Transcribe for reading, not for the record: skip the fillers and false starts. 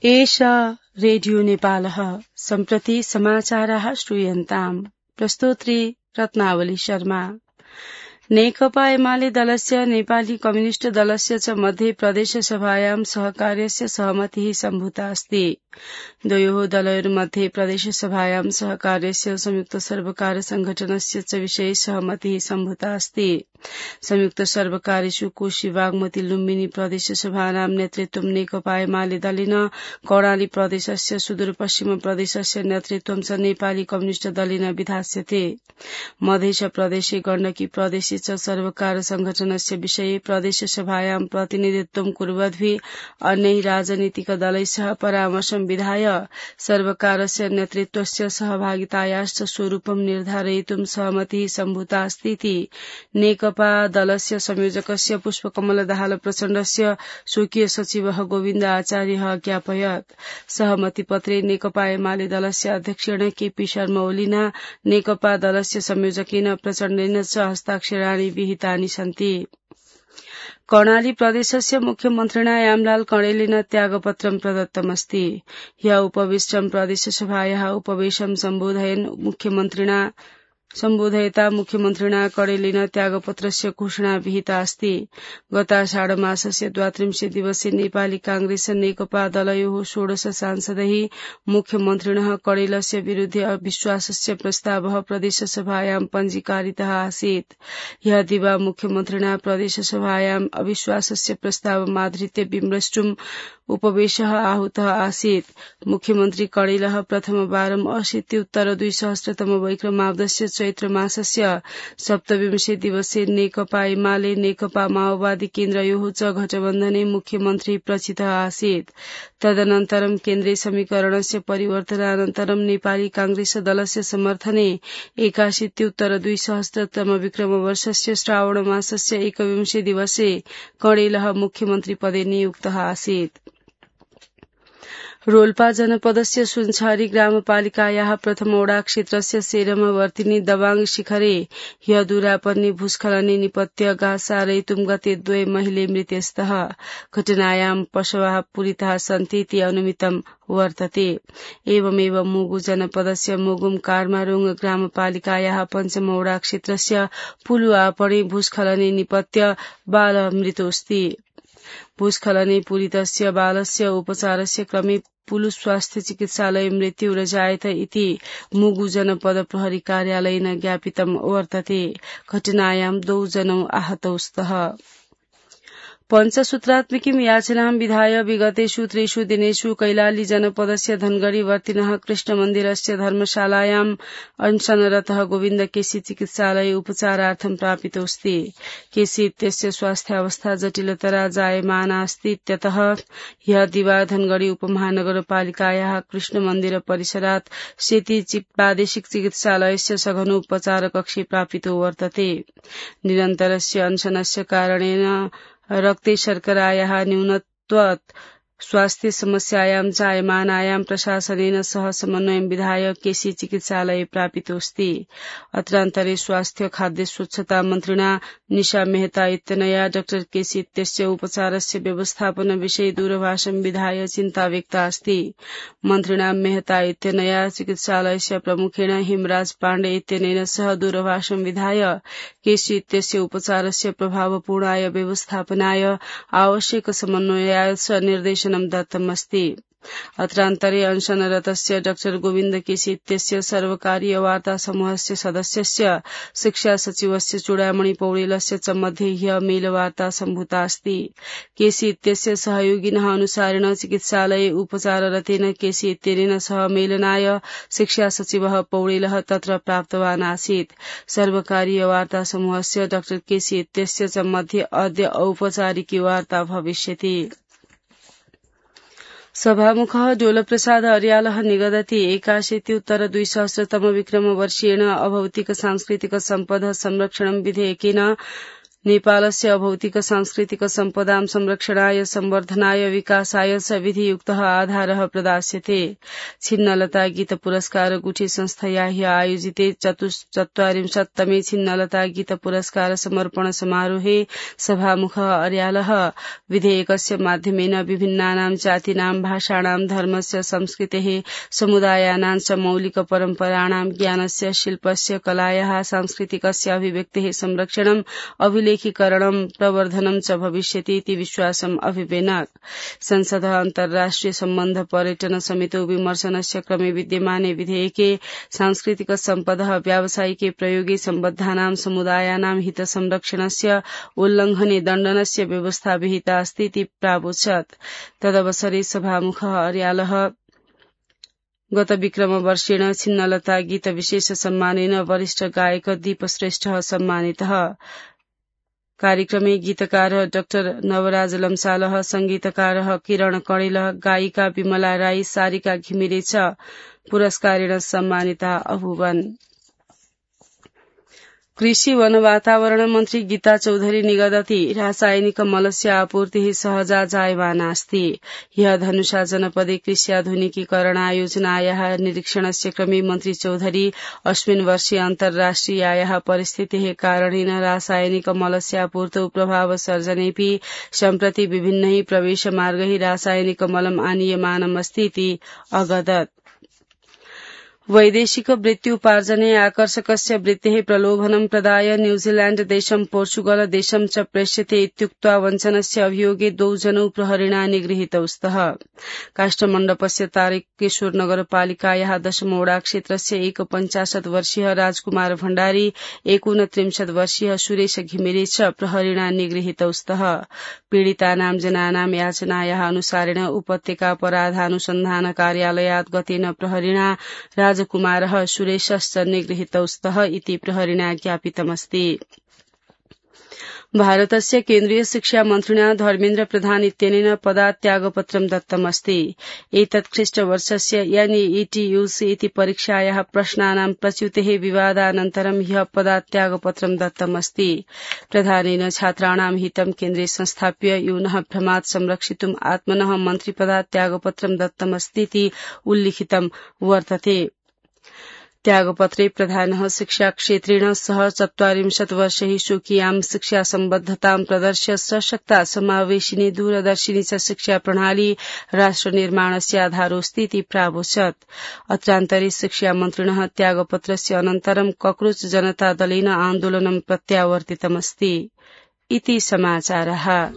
एषा रेडियो नेपालः सम्प्रति समाचाराः श्रूयन्ताम्। प्रस्तोत्री रत्नावली शर्मा। नेकपा एमाले दलस्य नेपाली कम्युनिष्ट दलस्य च मध्ये प्रदेशसभायां सहकार्यस्य सहमतिः सम्भूता अस्ति। द्वयोः दलयोर्मध्ये प्रदेशसभायां सहकार्यस्य संयुक्त सर्वकार संघटनस्य च विषये सहमतिः सम्भूता अस्ति। संयुक्त सर्वकारेषु कोशी बागमती लुम्बिनी प्रदेशसभानां नेतृत्वं नेकपा एमाले दलेन, कर्णाली प्रदेशस्य सुदूरपश्चिम प्रदेशस्य नेतृत्वं च नेपाली कम्युनिष्ट दलेन विधास्यते। मधेश प्रदेशे गण्डकी प्रदेशे च सर्वकार संघटनस्य विषये प्रदेशसभायां प्रतिनिधित्वं कुर्वद्भिः अन्यैः राजनीतिक दलैः सह परामर्शं विधाय सर्वकारस्य नेतृत्वस्य सहभागितायाश्च स्वरूपं निर्धारयितुं सहमतिः सम्भूता अस्ति इति नेकपा दलस्य संयोजकस्य पुष्पकमल दाहाल प्रचण्डस्य स्वकीय सचिवः गोविन्द आचार्यः ज्ञापयत्। सहमतिपत्रे नेकपा एमाले दलस्य अध्यक्षेण केपी शर्मा ओलीना, नेकपा दलस्य संयोजकेन प्रचण्डेन च हस्ताक्षराणि विहितानि सन्ति। कर्णाली प्रदेशस्य मुख्यमन्त्रिणा यामलाल कणेलेन त्यागपत्रं प्रदत्तमस्ति। ह्य उपविष्टं प्रदेशसभायाः उपवेशं सम्बोधयता मुख्यमन्त्रिणा कणेलेन त्यागपत्रस्य घोषणा विहिता अस्ति। गताषाढमासस्य 32 दिवसे नेपाली कांग्रेस नेकपा दलयोः 16 सांसदैः मुख्यमन्त्रिणः कणेलस्य विरुद्ध अविश्वासस्य प्रस्तावः प्रदेशसभायां पञ्जीकारितः आसीत्। ह्य दिवा मुख्यमन्त्रिणा प्रदेशसभायां अविश्वासस्य प्रस्तावमाधृत्य विमृष्टुम् उपवेशः आहूतः आसीत्। मुख्यमन्त्री कणेलः प्रथमवारं 80-उत्तर-2000 वैक्रमाब्दस्य चैत्र मासस्य 27 दिवसे नेकपा एमाले नेकपा माओवादी केन्द्रयोः च गठबन्धने मुख्यमन्त्री प्रचितः आसीत्। तदनन्तरं केन्द्रीय समीकरणस्य परिवर्तनानन्तरं नेपाली कांग्रेस दलस्य समर्थने 81-उत्तर-2000 विक्रमवर्षस्य श्रावण मासस्य 21 दिवसे कणेलः मुख्यमन्त्रीपदे नियुक्तः आसीत्। रोल्पा जनपदस्य सुनछारी ग्रामपालिकायाः प्रथम वडा क्षेत्रस्य सेरमा वर्तिनी दबाङ शिखरे ह्य दुरापर्ने भूस्खलने निपत्य गासारयितुं गते 2 महिले मृत्यस्तः। घटनायां पशवः पूरिताः सन्ति इति अनुमितं वर्तते। एवमेव मुगु जनपदस्य मुगुम कार्मारुङ ग्रामपालिकायाः पञ्चम वडा क्षेत्रस्य पुलुआपर्ने भूस्खलने निपत्य बाल मृतोऽस्ति। भूस्खलने पूरितस्य बालस्य उपचारस्य क्रमे पुलु स्वास्थ्य चिकित्सालय मृत्यु रजायत इति मुगु जनपद प्रहरी कार्यालयेन ज्ञापितं वर्तते। घटनायां 2 जनौ आहतौ स्तः। पञ्चसूत्रात्मकीं याचनां विधाय विगतेषु 3 दिनेषु कैलाली जनपदस्य धनगढ़ी वर्तिनः कृष्णमन्दिरस्य धर्मशालायां अनशनरतः गोविन्द केसी चिकित्सालये उपचारार्थं प्रापितोऽस्ति। केसी इत्यस्य स्वास्थ्यावस्था जटिलतरा जायमाना अस्ति इत्यतः ह्य दिवा धनगढ़ी उपमहानगरपालिकायाः कृष्णमन्दिर परिसरात् सेती प्रादेशिक चिकित्सालयस्य सघनोपचार कक्षे प्रापितो वर्तते। निरन्तरस्य अनशनस्य कारणेन रक्ते शर्करायाः न्यूनत्वात् स्वास्थ्य समस्यायां जायमानायां प्रशासनेन सह समन्वयं विधाय केसी चिकित्सालये प्रापितोऽस्ति। अत्रान्तरे स्वास्थ्य खाद्य स्वच्छता मन्त्रिणा निशा मेहता इत्यनया डाक्टर केसी इत्यस्य उपचारस्य व्यवस्थापन विषये दूरभाषं विधाय चिन्ता व्यक्ता अस्ति। मन्त्रिणा मेहता इत्यनया चिकित्सालयस्य प्रमुखेण हिमराज पाण्डे इत्यनेन सह दूरभाषं विधाय केसी इत्यस्य उपचारस्य प्रभावपूर्णाय व्यवस्थापनाय आवश्यक समन्वयाय च निर्देशनं दत्तमस्ति। अत्रान्तरे अनशनरतस्य डाक्टर गोविन्द केसी इत्यस्य सर्वकारीय वार्ता समूहस्य सदस्यस्य शिक्षा सचिवस्य चूडामणि पौडेलस्य च मध्ये ह्य मेलवार्ता सम्भूता अस्ति। केसी इत्यस्य सहयोगिनः अनुसारेण चिकित्सालये उपचाररतेन केसी इत्यनेन सह मेलनाय शिक्षा सचिवः पौडेलः तत्र प्राप्तवान् आसीत्। सर्वकारीय वार्ता समूहस्य डाक्टर केसी इत्यस्य च मध्ये अद्य औपचारिकी वार्ता भविष्यति। सभामुखः डोलप्रसाद अर्यालः निगदति 81-उत्तर-2000 विक्रमवर्षेण अभौतिक सांस्कृतिक सम्पद संरक्षणं विधेयकेन नेपालस्य अभौतिक सांस्कृतिक सम्पदां संरक्षणाय संवर्धनाय विकासाय च विधियुक्तः आधारः प्रदास्यते। छिन्नलता गीत पुरस्कार गुठी संस्थया ह्य आयोजिते 44तमे छिन्नलता गीत पुरस्कार समर्पण समारोहे सभामुखः अर्यालः विधेयकस्य माध्यमेन विभिन्नानां जातीनां भाषाणां धर्मस्य संस्कृतेः समुदायानां च मौलिक परम्पराणां ज्ञानस्य शिल्पस्य कलायाः सांस्कृतिकस्य अभिव्यक्तेः संरक्षणम् अभिलेखीकरणं प्रवर्धनं च भविष्यति इति विश्वासम् अभिवेनक। संसदः अन्तर्राष्ट्रिय सम्बन्ध पर्यटन समितौ विमर्शनस्य क्रमे विद्यमाने विधेयके सांस्कृतिक सम्पदः व्यावसायिके प्रयोगे सम्बद्धानां समुदायानां हित संरक्षणस्य उल्लङ्घने दण्डनस्य व्यवस्था विहिता अस्ति इति प्रावोचत्। तदवसरे सभामुखः अर्यालः गत विक्रमवर्षेण छिन्नलता गीत विशेष सम्मानेन वरिष्ठ गायक दीप श्रेष्ठः सम्मानितः। कार्यक्रमे गीतकारः डाक्टर नवराज लम्सालः, संगीतकारः किरण कणेलः, गायिका विमला राई, सारिका घिमिरे च पुरस्कारेण सम्मानिता अभूवन्। कृषि वन वातावरण मन्त्री गीता चौधरी निगदति रासायनिक मलस्य आपूर्तिः सहजा जायमानास्ति। ह्यः धनुषा जनपदे कृष्याधुनिकीकरणायोजनायाः निरीक्षणस्य क्रमे मन्त्री चौधरी अस्मिन् वर्षे अन्तर्राष्ट्रियायाः परिस्थितेः कारणेन रासायनिक मलस्य आपूर्तौ प्रभाव सर्जनेऽपि सम्प्रति विभिन्नैः प्रवेशमार्गैः रासायनिक मलम् आनीयमानमस्ति इति अगदत्। वैदेशिक वृत्त्युपार्जने आकर्षकस्य वृत्तेः प्रलोभनं प्रदाय न्यूजीलैण्ड देशं पोर्चुगल देशं च प्रेष्यते इत्युक्त्वा वञ्चनस्य अभियोगे 2 जनौ प्रहरिणा निगृहीतौ स्तः। काष्ठमण्डपस्य तारकेश्वर नगरपालिकायाः 10मौडा क्षेत्रस्य 51 वर्षीय राजकुमार भण्डारी, 29 वर्षीय सुरेश घिमिरे च प्रहरिणा निगृहीतौ स्तः। पीडितानां जनानां याचनायाः अनुसारेण उपत्यका अपराधानुसन्धान कार्यालयात् गतेन प्रहरिणा राजकुमारः सुरेशश्च निगृहीतौ स्तः इति प्रहरिणा ज्ञापितमस्ति। भारतस्य केन्द्रीय शिक्षा मन्त्रिणा धर्मेन्द्र प्रधान इत्यनेन पदात् त्यागपत्रं दत्तमस्ति। एतत् ख्रीष्टवर्षस्य NEET-UC इति परीक्षायाः प्रश्नानां प्रच्युतेः विवादानन्तरं ह्यः पदात् त्यागपत्रं दत्तमस्ति। प्रधानेन छात्राणां हितं केन्द्रे संस्थाप्य यूनः भ्रमात् संरक्षितुम् आत्मनः मन्त्रिपदात् त्यागपत्रं दत्तमस्तीति उल्लिखितं वर्तते। त्यागपत्रे प्रधानः शिक्षाक्षेत्रेण सह 40 वर्षैः स्वकीयां शिक्षासम्बद्धतां प्रदर्श्य सशक्ता समावेशिनी दूरदर्शिनी च शिक्षा प्रणाली राष्ट्रनिर्माणस्य आधारोऽस्ति इति प्रावोचत्। अत्रान्तरे शिक्षामन्त्रिणः त्यागपत्रस्य अनन्तरं कक्रोच जनता दलेन आन्दोलनं प्रत्यावर्तितमस्ति इति समाचारः।